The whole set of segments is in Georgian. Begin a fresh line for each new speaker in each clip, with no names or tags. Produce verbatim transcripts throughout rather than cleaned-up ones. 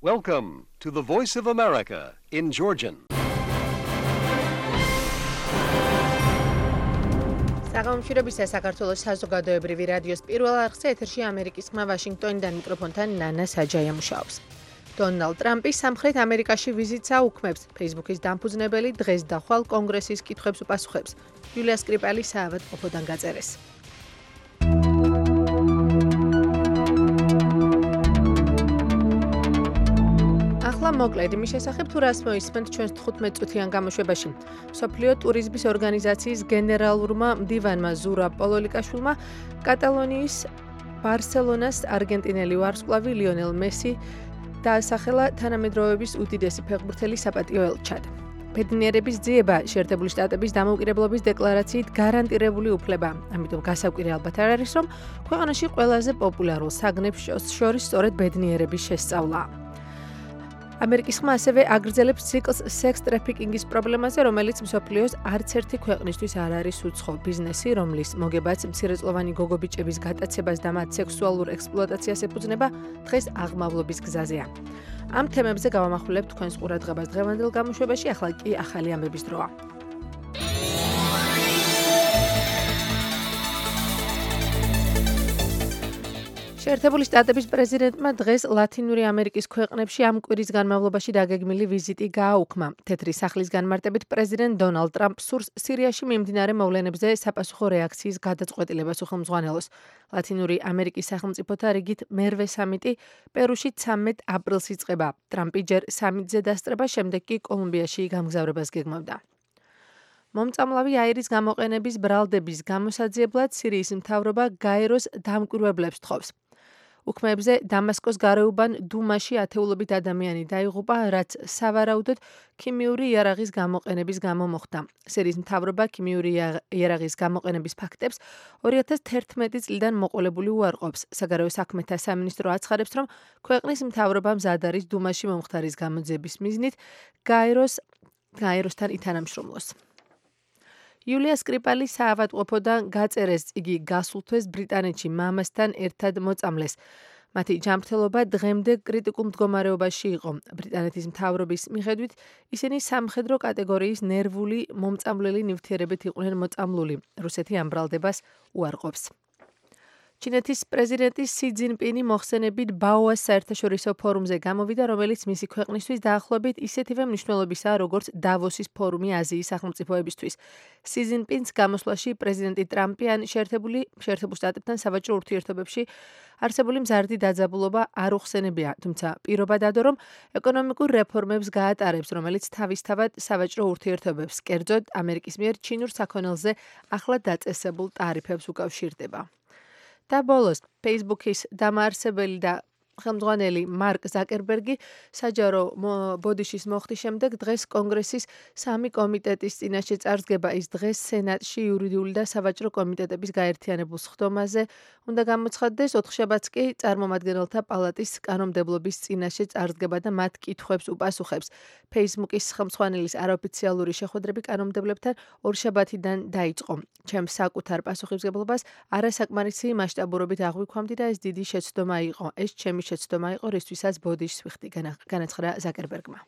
Welcome to the Voice of America in Georgian.
საღამომშვიდობისა საქართველოს საზოგადოებრივი რადიოს პირველ არხზე ეთერში ამერიკის ხმა ვაშინგტონიდან მიკროფონთან ნანა საჯაია მუშაობს. დონალდ ტრამპი სამხრეთ ამერიკაში ვიზიტს აუქმებს. Facebook-ის დამფუძნებელი დღეს და ხვალ კონგრესის კითხვებს უპასუხებს. იულია სკრიპალი საავადმყოფოდან გაწერეს. მოკლედ იმის შესახებ თუ რას მოისმენთ ჩვენს თხუთმეტ წუთიან გამოშვებაში. მსოფლიო ტურიზმის ორგანიზაციის გენერალურმა მდივანმა ზურაბ პოლოლიკაშვილმა კატალონიის ბარსელონას არგენტინელი ვარსკვლავი ლიონელ მესი დაასახელა თანამედროვეობის უდიდესი ფეხბურთელი საპატიო ელჩად. ბედნიერების ძიება შეერთებული შტატების დამოუკიდებლობის დეკლარაციით გარანტირებული უფლება. ამიტომ გასაკვირი ალბათ არ არის, რომ ქვეყანაში ყველაზე პოპულარულ საგნებს შორის სწორედ ბედნიერების შესწავლაა. ამერიკის ხმა ასევე აგრძელებს ციკლს სექს ტრაფიკინგის პრობლემაზე, რომელიც მსოფლიოს არც ერთი ქვეყნისთვის არ არის უცხო ბიზნესი, რომლის მოგებაც მცირეწლოვანი გოგობიჭების გატაცებას და მათ სექსუალურ ექსპლუატაციას ეფუძნება, დღეს აღმავლობის გზაზეა. ამ თემებზე გავამახვილებთ თქვენს ყურადღებას დღევანდელ გამოშვებაში, ახლა კი ახალი ამბების დროა. შეერთებული შტატების პრეზიდენტმა დღეს ლათინური ამერიკის ქვეყნებში ამ კვირის განმავლობაში დაგეგმილი ვიზიტი გააუქმა. თეთრი სახლის განმარტებით პრეზიდენტ დონალდ ტრამპს სურს სირიაში მიმდინარე მოვლენებზე საფასუხო რეაქციის გადაწყვეტილებას უხელმძღვანელოს. ლათინური ამერიკის სახელმწიფოთა რიგით მერვე სამიტი პერუში ცამეტ აპრილს იწყება. ტრამპი ჯერ სამიტზე დასწრება, შემდეგ კი კოლუმბიაში გამგზავრებას გეგმავდა. მომწამლავი აირის გამოყენების ბრალდების გამოსაძიებლად სირიის მთავრობა გაეროს დამკვირვებლებს თხოვს. უქმეებზე დამასკოს გარეუბან დუმაში ათეულობით ადამიანი დაიღუპა, რაც სავარაუდოდ ქიმიური იარაღის გამოყენების გამო მოხდა. სირიის მთავრობა ქიმიური იარაღის გამოყენების ფაქტებს ორი ათას თერთმეტი წლიდან მოყოლებული უარყოფს. საგარეო საქმეთა სამინისტრო აცხადებს, რომ ქვეყნის მთავრობა მზად არის დუმაში მომხდარის გამოძიების მიზნით გაეროს გაეროსთან ითანამშრომლოს. იულია სკრიპალი საავადმყოფოდან გაწერეს, იგი გასულ თვეს ბრიტანეთში მამასთან ერთად მოწამლეს. მათი ჯანმრთელობა დღემდე კრიტიკულ მდგომარეობაში იყო. ბრიტანეთის მთავრობის მიხედვით ისინი სამხედრო კატეგორიის ნერვული მომწამლელი ნივთიერებით იყვნენ მოწამლული. რუსეთი ამ ბრალდებას უარყოფს. ჩინეთის პრეზიდენტი სი ძინპინი მოხსენებით ბაოას საერთაშორისო ფორუმზე გამოვიდა, რომელიც მისი ქვეყნისთვის დაახლოებით ისეთივე მნიშვნელობისაა, როგორც დავოსის ფორუმი აზიის სახელმწიფოებისთვის. სი ძინპინს გამოსვლაში პრეზიდენტი ტრამპი ან შეერთებული შეერთებულ შტატებთან სავაჭრო ურთიერთობებში არსებული მზარდი დაძაბულობა არ უხსენებია, თუმცა პირობა დადო, რომ ეკონომიკურ რეფორმებს გაატარებს, რომელიც თავისთავად სავაჭრო ურთიერთობებს, კერძოდ ამერიკის მიერ ჩინურ საქონელზე ახლად დაწესებულ ტარიფებს უკავშირდება. და ბოლოს, Facebook-ის დამაარსებელი და ხელმძღვანელი მარკ ზაკერბერგი საჯარო ბოდიშის მოხდის შემდეგ დღეს კონგრესის სამი კომიტეტის წინაშე წარსდგება. ის დღეს სენატში იურიდიული და სავაჭრო კომიტეტების გაერთიანებულ სხდომაზე უნდა გამოცხადდეს, ოთხშაბათს კი წარმომადგენელთა პალატის კანონმდებლობის წინაშე წარსდგება და მათ კითხვებს უპასუხებს. Facebook-ის ხელმძღვანელის არაოფიციალური შეხვედრები კანონმდებლებთან ორშაბათიდან დაიწყო. ჩემს საკუთარ პასუხისმგებლობას არასაკმარისი მასშტაბურობით აღვიქვამდი და ეს დიდი შეცდომა იყო. ეს ჩემი შეცდომა იყო, რისთვისაც ბოდიშს ვიხდი, განაცხადა ზაკერბერგმა.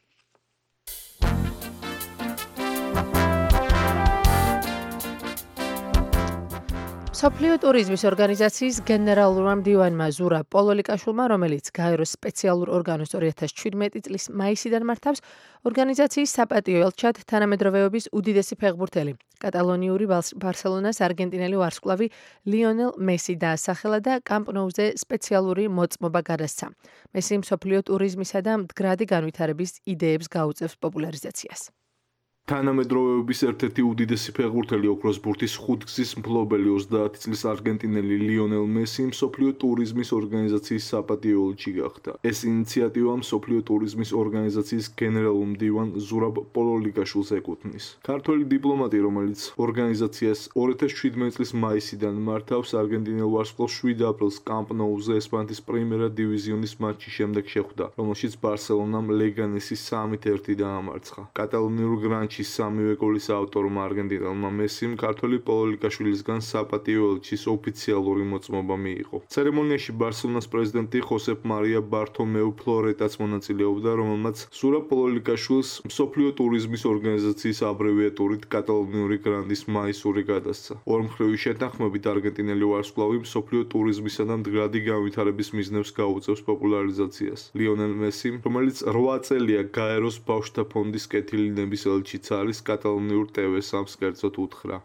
მსოფლიო ტურიზმის ორგანიზაციის გენერალურმა მდივანმა ზურაბ პოლოლიკაშვილმა, რომელიც გაეროს სპეციალურ ორგანოს ორი ათას შვიდმეტი წლის მაისიდან მართავს, ორგანიზაციის საპატიო ელჩად თანამედროვეობის უდიდესი ფეხბურთელი, კატალონიური ბარსელონას არგენტინელი ვარსკვლავი ლიონელ მესი დაასახელა და კამპ ნოუზე სპეციალური მოწმობა გადასცა. მესი მსოფლიო ტურიზმისა და მდგრადი განვითარების იდეებს გაუწევს პოპულარიზაციას.
თანამედროვეობის ერთ-ერთი უდიდესი ფეხბურთელი ოქროს ბურთის ხუთგზის მფლობელი ოცდაათი წლის არგენტინელი ლიონელ მესი მსოფლიო ტურიზმის ორგანიზაციის საპატიო ელჩი გახდა. ეს ინიციატივა მსოფლიო ტურიზმის ორგანიზაციის გენერალურ მდივან ზურაბ პოლოლიკაშვილს ეკუთვნის. ქართველი დიპლომატი, რომელიც ორგანიზაციას ორი ათას შვიდმეტი წლის მაისიდან მართავს, არგენტინელ ვარსკვლავს შვიდ აპრილს კამპ ნოუზე ესპანეთის პრიმერა დივიზიონის მატჩის შემდეგ შეხვდა, რომელშიც ბარსელონამ ლეგანესის სამით ერთი დაამარცხა. კატალონიურ გრანდ მატჩის სამივე გოლის ავტორმა არგენტინელმა მესიმ ქართველი პოლოლიკაშვილისგან საპატიო ელჩის ოფიციალური მოწმობა მიიღო. ცერემონიაში ბარსელონას პრეზიდენტი ხოსეფ მარია ბართომეუ ფლორეტაც მონაწილეობდა, რომელმაც სურა პოლოლიკაშვილს მსოფლიო ტურიზმის ორგანიზაციის აბრევიატურით კატალონიური გრანდის მაისური გადასცა. ორმხრივი შეთანხმებით არგენტინელი ვარსკვლავი მსოფლიო ტურიზმისა და მდგრადი განვითარების მიზნებს გაუწევს პოპულარიზაციას. ლიონელ მესიმ, რომელიც რვა წელია გაეროს ბავშვთა ფონდის კეთილინების ელჩიც არის, კატალონიურ ტე ვე სამს კერძოდ უთხრა.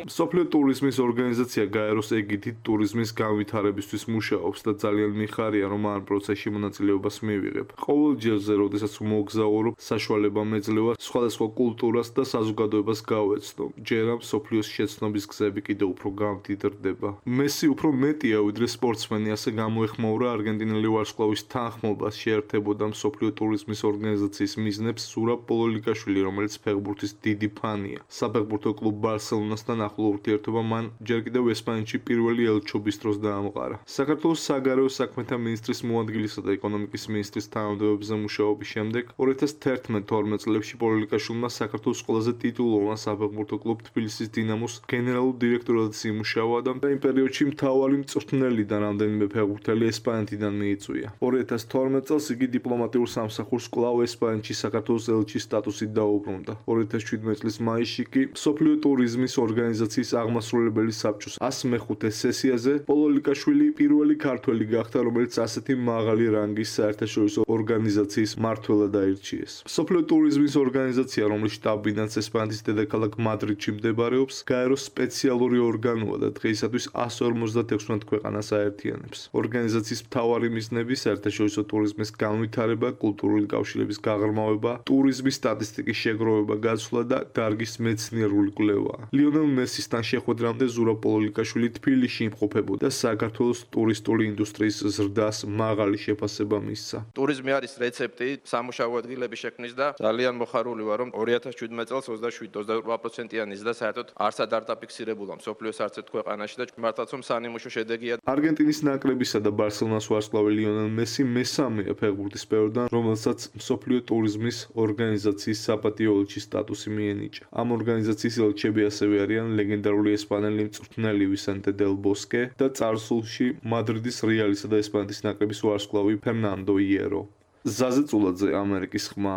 მსოფლიო ტურიზმის ორგანიზაცია გაეროს ეგიდით ტურიზმის განვითარებისთვის მუშაობს და ძალიან მიხარია, რომ ამ პროცესში მონაწილეობას მივიღებ. ყოველ ჯერზე, როდესაც მოგზაურობ, საშუალება მეძლევა სხვადასხვა კულტურას და საზოგადოებას გავეცნო. ჯერა მსოფლიოს შეცნობის გზები კიდევ უფრო გამდიდრდება. მესი უფრო მეტია ვიდრე სპორტსმენი, ასე გამოეხმაურა არგენტინელი ვარსკვლავის თანხმობას შეერთებოდა მსოფლიო ტურიზმის ორგანიზაციის მიზნებს სურა პოლოლიკაშვილი, რომელიც ფეხბურთის დიდი ფანია. საფეხბურთო კლუბ ბარსელონასთან ახლო ურთიერთობა მან ჯერ კიდევ ესპანეთში პირველი ელჩობის დროს დაამყარა. საქართველოს საგარეო საქმეთა მინისტრის მოადგილისა და ეკონომიკის მინისტრის თანამდებობაზე მუშაობის შემდეგ ორი ათას თერთმეტ თორმეტ წლებში პოლოლიკაშვილმა საქართველოს ყველაზე ტიტულოვან საფეხბურთო კლუბ თბილისის დინამოს გენერალურ დირექტორად იმუშავა და იმ პერიოდში მთავარი მწვრთნელი და რამდენიმე ფეხბურთელი ესპანეთიდან მიიწვია. ორი ათას თორმეტ წელს იგი დიპლომატიურ სამსახურს კვლავ ესპანეთში საქართველოს ელჩის სტატუსით დაუბრუნდა. ორი ათას შვიდმეტ წლის მაისში კი მსოფლიო ტურიზმის ორგანიზაციის აღმასრულებელი საბჭოს ას მეხუთე სესიაზე პოლოლიკაშვილი პირველი ქართველი გახდა, რომელიც ასეთი მაღალი რანგის საერთაშორისო ორგანიზაციის მმართველად აირჩიეს. მსოფლიო ტურიზმის ორგანიზაცია, რომლის შტაბ-ბინაც ესპანეთის დედაქალაქ მადრიდში მდებარეობს, გაეროს სპეციალური ორგანოა და დღეისათვის ას ორმოცდაექვსმეტ ქვეყანას აერთიანებს. ორგანიზაციის მთავარი მიზნები საერთაშორისო ტურიზმის განვითარება, კულტურული კავშირების გაღრმავება, ტურიზმის სტატისტიკის შეგროვება, გაცვლა და დარგის მეცნიერული კვლევაა. ლიონელ მესისთან შეხვედრამდე ზურაბ პოლოლიკაშვილი თბილისში იმყოფებოდა და საქართველოს ტურისტული ინდუსტრიის ზრდას მაღალი შეფასება მისცა.
ტურიზმი არის რეცეპტი სამუშაო ადგილების შექმნის და ძალიან მოხარული ვარ, რომ ორი ათას შვიდმეტ წელს ოცდაშვიდ ოცდაოთხ პროცენტიანი ზრდა საერთოდ არსად არ დაფიქსირებულა მსოფლიოს არც ერთ ქვეყანაში და მართლაც რომ სანიმუშო შედეგია.
არგენტინის ნაკრებისა და ბარსელონას ვარსკვლავი ლიონელ მესი მესამეა ფეხბურთის სფეროდან, რომელსაც მსოფლიო ტურიზმის ორგანიზაციის საპატიო ელჩის სტატუსი მიენიჭა. ამ ორგანიზაციის ელჩები ასევე არიან ლეგენდარული ესპანელი მწვრთნელი ვისენტე დელ ბოსკე და წარსულში მადრიდის რეალისა და ესპანეთის ნაკრების ვარსკვლავი ფერნანდო იერო. ზაზე წულაძე, ამერიკის ხმა.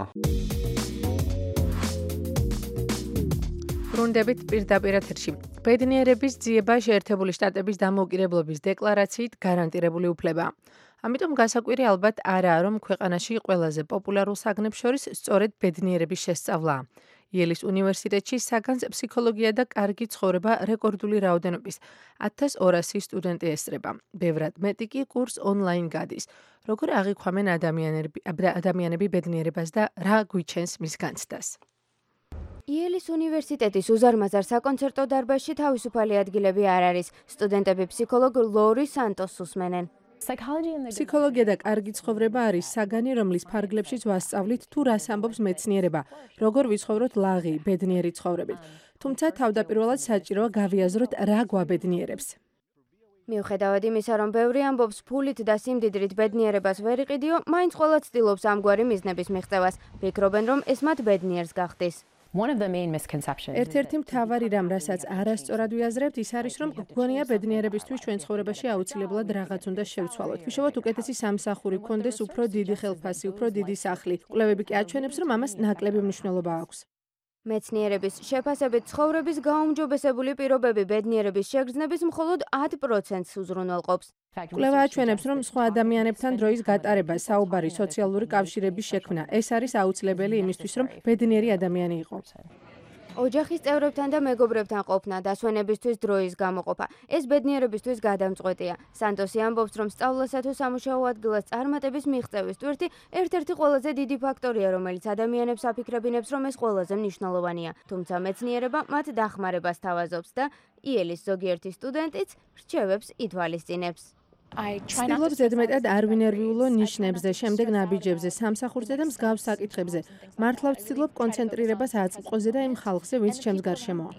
ბრუნდებით პირდაპირ ეთერში. ბედნიერების ძიება შეერთებული შტატების დამოუკიდებლობის დეკლარაციით გარანტირებული უფლებაა. ამიტომ გასაკვირი ალბათ არაა, რომ ქვეყანაში ყველაზე პოპულარულ საგნებს შორის სწორედ ბედნიერების შესწავლაა. იელის უნივერსიტეტში საგანს ფსიქოლოგია და კარგი ცხოვრება რეკორდული რაოდენობის ათას ორასი სტუდენტი ესწრება. ბევრად მეტი კი კურს ონლაინ გადის. როგორ აღიქვამენ ადამიანები, ადამიანები ბედნიერებას და რა გვიჩენს მის განცდას?
იელის უნივერსიტეტის უზარმაზარ საკონცერტო დარბაზში თავისუფალი ადგილები არ არის. სტუდენტები ფსიქოლოგ ლორი სანტოს უსმენენ.
ფსიქოლოგია და კარგი ცხოვრება არის საგანი, რომლის ფარგლებშიც ვასწავლით თუ რას ამბობს მეცნიერება, როგორ ვიცხოვროთ ლაღი, ბედნიერი ცხოვრებით. თუმცა თავდაპირველად საჭიროა გავიაზროთ რა გვაბედნიერებს.
მიუხედავად იმისა, რომ ბევრი ამბობს ფულით და სიმდიდრით ბედნიერებას ვერ იყიდიო, მაინც ყველა ცდილობს ამგვარი მიზნების მიღწევას. ფიქრობენ, რომ ეს მათ ბედნიერს გახდის.
ერთ-ერთი მთავარი რამ, რასაც არასწორად ვიაზრებთ, ის არის, რომ გგონია ბედნიერებისთვის ჩვენ ცხოვრებაში აუცილებლად რაღაც უნდა შევცვალოთ. ვიშოვოთ უკეთესი სამსახური, გქონდეს უფრო დიდი ხელფასი, უფრო დიდი სახლი. კვლევები კი აჩვენებს, რომ ამას ნაკლები მნიშვნელობა აქვს.
მეცნიერების შეფასებით ცხოვრების გაუმჯობესებული პირობები ბედნიერების შეგრძნების მხოლოდ ათ პროცენტს უზრუნველყოფს.
კვლევა აჩვენებს, რომ სხვა ადამიანებთან დროის გატარება, საუბარი, სოციალური კავშირების შექმნა, ეს არის აუცილებელი იმისთვის, რომ ბედნიერი ადამიანი იყო.
ოჯახის წევრებთან და მეგობრებთან ყოფნა, დასვენებისთვის დროის გამოყოფა. ეს ბედნიერებისთვის გადამწყვეტია. სანტოსი ამბობს, რომ სწავლასა თუ სამუშაო ადგილას წარმატების მიღწევის ტვირთი ერთ-ერთი ყველაზე დიდი ფაქტორია, რომელიც ადამიანებს აფიქრებინებს, რომ ეს ყველაზე მნიშვნელოვანია. თუმცა მეცნიერება მათ დახმარებას თავაზობს და იელის ზოგიერთი სტუდენტიც რჩევებს ითვალისწინებს.
ვცდილობ ზედმეტად არ ვინერვიულო ნიშნებზე, შემდეგ ნაბიჯებზე, სამსახურზე და მსგავს საკითხებზე. მართლა ვცდილობ კონცენტრირებას აწყყოზე და იმ ხალხზე, ვინც ჩემს გარშემოა.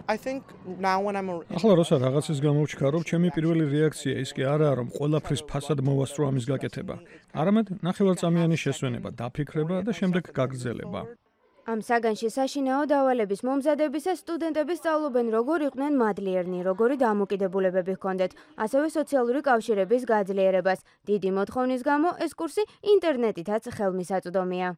ახლა როცა რაღაცის გამოვჩქარობ, ჩემი პირველი რეაქცია ის კი არაა, რომ ყველაფრის ფასად მოვასწრო ამის გაკეთება. არამედ ნახევარწამიანი შესვენება, დაფიქრება და შემდეგ გაგრძელება.
ამ საგანში საშინაო დავალების მომზადებისას სტუდენტები სწავლობენ, როგორ იყვნენ მადლიერნი, როგორი დამოკიდებულებები ჰქონდეთ, ასევე სოციალური კავშირების გაძლიერებას. დიდი მოთხოვნის გამო ეს კურსი ინტერნეტითაც ხელმისაწვდომია.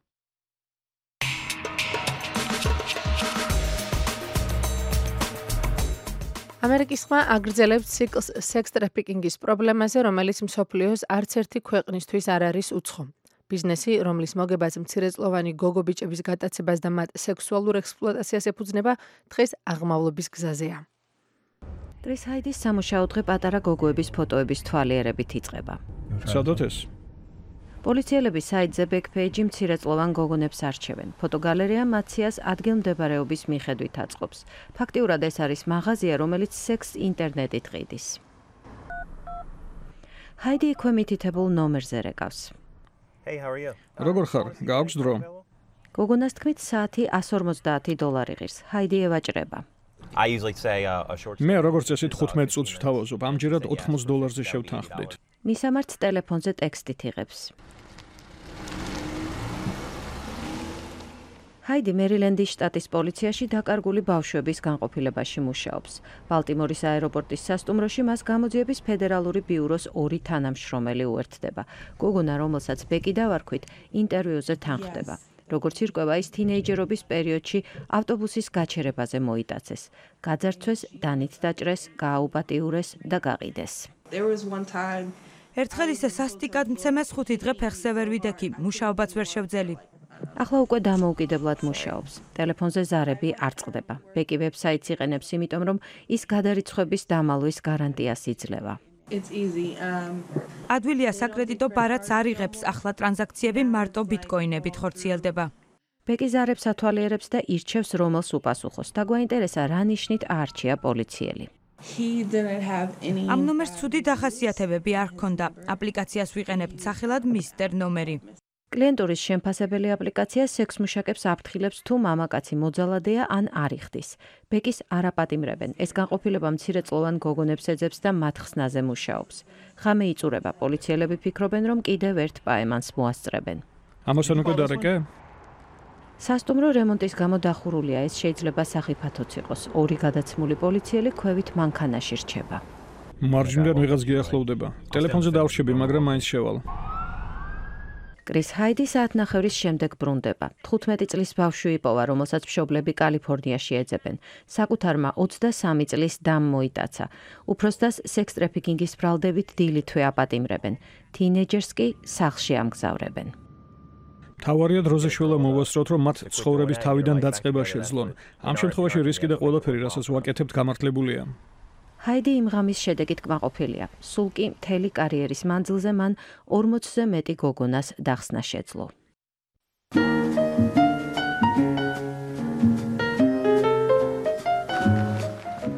ამერიკის ხმა აგრძელებს ციკლს სექს ტრაფიკინგის პრობლემაზე, რომელიც მსოფლიოს არც ერთი ქვეყნისთვის არ არის უცხო. ბიზნესი, რომლის მოგებაც მცირეწლოვანი გოგო ბიჭების გატაცებას და მათ სექსუალურ ექსპლუატაციას ეფუძნება, დღეს აღმავლობის გზაზეა.
კრის ჰაიდის სამუშაო დღე პატარა გოგოების ფოტოების თვალიერებით იწყება.
სადოთ ეს?
პოლიციელები საიტზე ბექპეიჯი მცირეწლოვან გოგონებს არჩევენ. ფოტოგალერეა მაციას ადგილმდებარეობის მიხედვით აწყობს. ფაქტიურად ეს არის მაღაზია, რომელიც სექს ინტერნეტით ყიდის. ჰაიდი იქვე მითითებულ ნომერზე რეკავს.
Hey, how are you?
როგორ ხარ? გააქვს დრო?
გოგონას თქმით საათი εκατი ორმოცდაათი დოლარი ღირს. ჰაიდი ევაჭრება.
I usually say uh, a short
მე როგორც წესი თხუთმეტ წუთს ვთავაზობ, ამჯერად ოთხმოცდ დოლარზე შევთანხმდით.
მისამართს ტელეფონზე ტექსტით იღებს. ჰაიდი მერილენდის შტატის პოლიციაში დაკარგული ბავშვების განყოფილებაში მუშაობს. ბალტიმორის აეროპორტის სასტუმროში მას გამოძიების ფედერალური ბიუროს ორი თანამშრომელი უერთდება. გოგონა, რომელსაც ბეკი დავარქვით, ინტერვიუზე თანხმდება. როგორც ირკვევა, ის თინეიჯერობის პერიოდში ავტობუსის გაჩერებაზე მოიტაცეს. გაძარცვეს, დანით დაჭრეს, გააუპატიურეს და გაყიდეს.
ერთხელ ისე სასტიკად მცემეს ხუთი დღე ფეხზე ვერ ვიდექი, მუშაობაც ვერ შევძელი.
ახლა უკვე დამოუკიდებლად მუშაობს. ტელეფონზე ზარები არ წყდება. ბეკი ვებსაიტს იყენებს, იმიტომ რომ ის გადარიცხვების დამალვის გარანტიას იძლევა.
ადვილია საკრედიტო ბარათს არ იღებს, ახლა ტრანზაქციები მარტო ბიტკოინებით ხორციელდება.
ბეკი ზარებს ათვალიერებს და ირჩევს, რომელს უპასუხოს. დაგვაინტერესა, რა ნიშნით აარჩია პოლიციელი.
ამ ნომერს ცუდი დახასიათებები არ ჰქონდა. აპლიკაციას ვიყენებთ სახელად მისტერ ნომერი.
კლიენტურის შემფასებელი აპლიკაცია სექსმუშაკებს აფრთხილებს თუ მამაკაცი მოძალადეა ან არ იხდის. ბეკის არ აპატიმრებენ. ეს განყოფილება მცირეწლოვან გოგონებს ეძებს და მათ ხსნაზე მუშაობს. ღამე იწურება. პოლიციელები ფიქრობენ, რომ კიდევ ერთ პაემანს მოასწრებენ.
ამასთან უკვე დარეკე?
სასტუმრო რემონტის გამო დახურულია. ეს შეიძლება სახიფათოც იყოს. ორი გადაცმული პოლიციელი ქვევით მანქანაში რჩება.
მარჯვნიდან ვიღაც გიახლოვდება. ტელეფონზე დავრჩები, მაგრამ მაინც შევალ.
კრის ჰაიდი საათნახევრის შემდეგ ბრუნდება. თხუთმეტი წლის ბავშვი იპოვა, რომელსაც მშობლები კალიფორნიაში ეძებენ. საკუთარმა ოცდასამი წლის დამ მოიტაცა. უფროსდას სექს ტრაფიკინგის ბრალდებით დილითვე აპატიმრებენ. თინეიჯერს კი სახლში ამგზავრებენ.
თავარია დროზე შველა მოვასწროთ, რომ მათ ცხოვრების თავიდან დაწყება შეძლონ. ამ შემთხვევაში რისკი და ყველაფერი, რასაც ვაკეთებთ, გამართლებულია.
ჰაიდი იმ ღამის შედეგით კმაყოფილია. სულ კი მთელი კარიერის მანძილზე მან ორმოცზე მეტი გოგონას დახსნა შეძლო.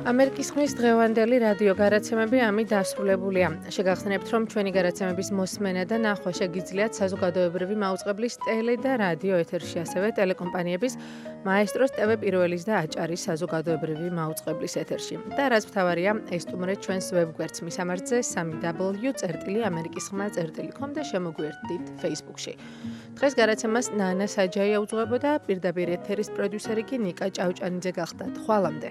ამერიკის ხმის დღევანდელი რადიო გადაცემები ამით დასრულებულია. შეგახსენებთ, რომ ჩვენი გადაცემების მოსმენა და ნახვა შეგიძლიათ საზოგადოებრივი მაუწყებლის ტელე და რადიო ეთერში, ასევე ტელეკომპანიების მაესტროს, ტევ პირველის და აჭარის საზოგადოებრივი მაუწყებლის ეთერში. და რაც მთავარია, ესტუმრეთ ჩვენს ვებგვერდს მისამართზე სამი დაბლიუ წერტილი ამერიკის ხმა წერტილი კომ და შემოგვიერთდით Facebook-ში. დღეს გადაცემას ნანა საჯაია უძღვებოდა, პირდაპირ ეთერის პროდიუსერი კი ნიკა ჭავჭანიძე გახდათ. ხვალამდე.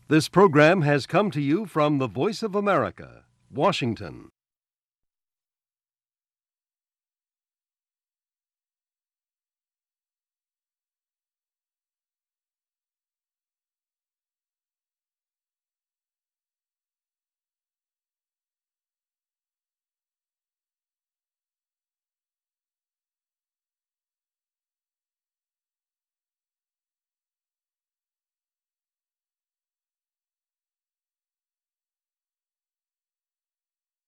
This program has come to you from the Voice of America, Washington.